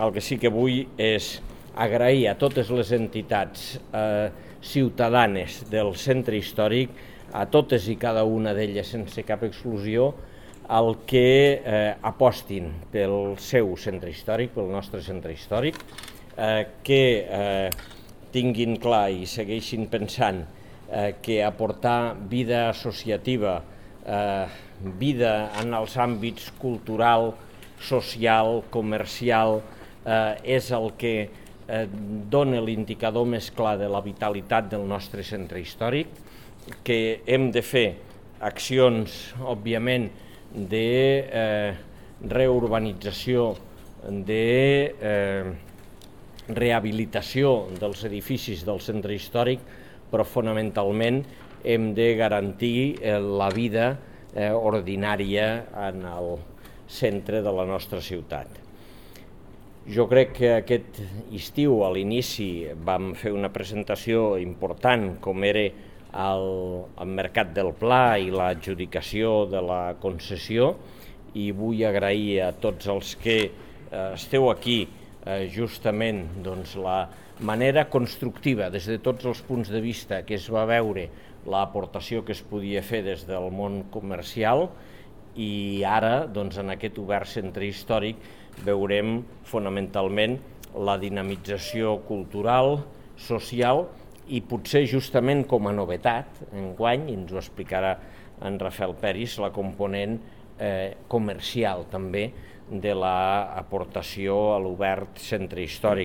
El que sí que vull és agrair a totes les entitats ciutadanes del centre històric, a totes i cada una d'elles sense cap exclusió, el que apostin pel seu centre històric, pel nostre centre històric, que tinguin clar i segueixin pensant que aportar vida associativa, vida en els àmbits cultural, social, comercial, és el que dona l'indicador més clar de la vitalitat del nostre centre històric, que hem de fer accions, òbviament, de reurbanització, de rehabilitació dels edificis del centre històric, però fonamentalment hem de garantir la vida ordinària en el centre de la nostra ciutat. Jo crec que aquest estiu, a l'inici, vam fer una presentació important com era el Mercat del Pla i l'adjudicació de la concessió, i vull agrair a tots els que esteu aquí justament la manera constructiva des de tots els punts de vista que es va veure l'aportació que es podia fer des del món comercial, i ara en aquest obert centre històric veurem fonamentalment la dinamització cultural, social i potser justament com a novetat enguany, i ens ho explicarà en Rafael Peris, la component comercial també de l'aportació a l'obert centre històric.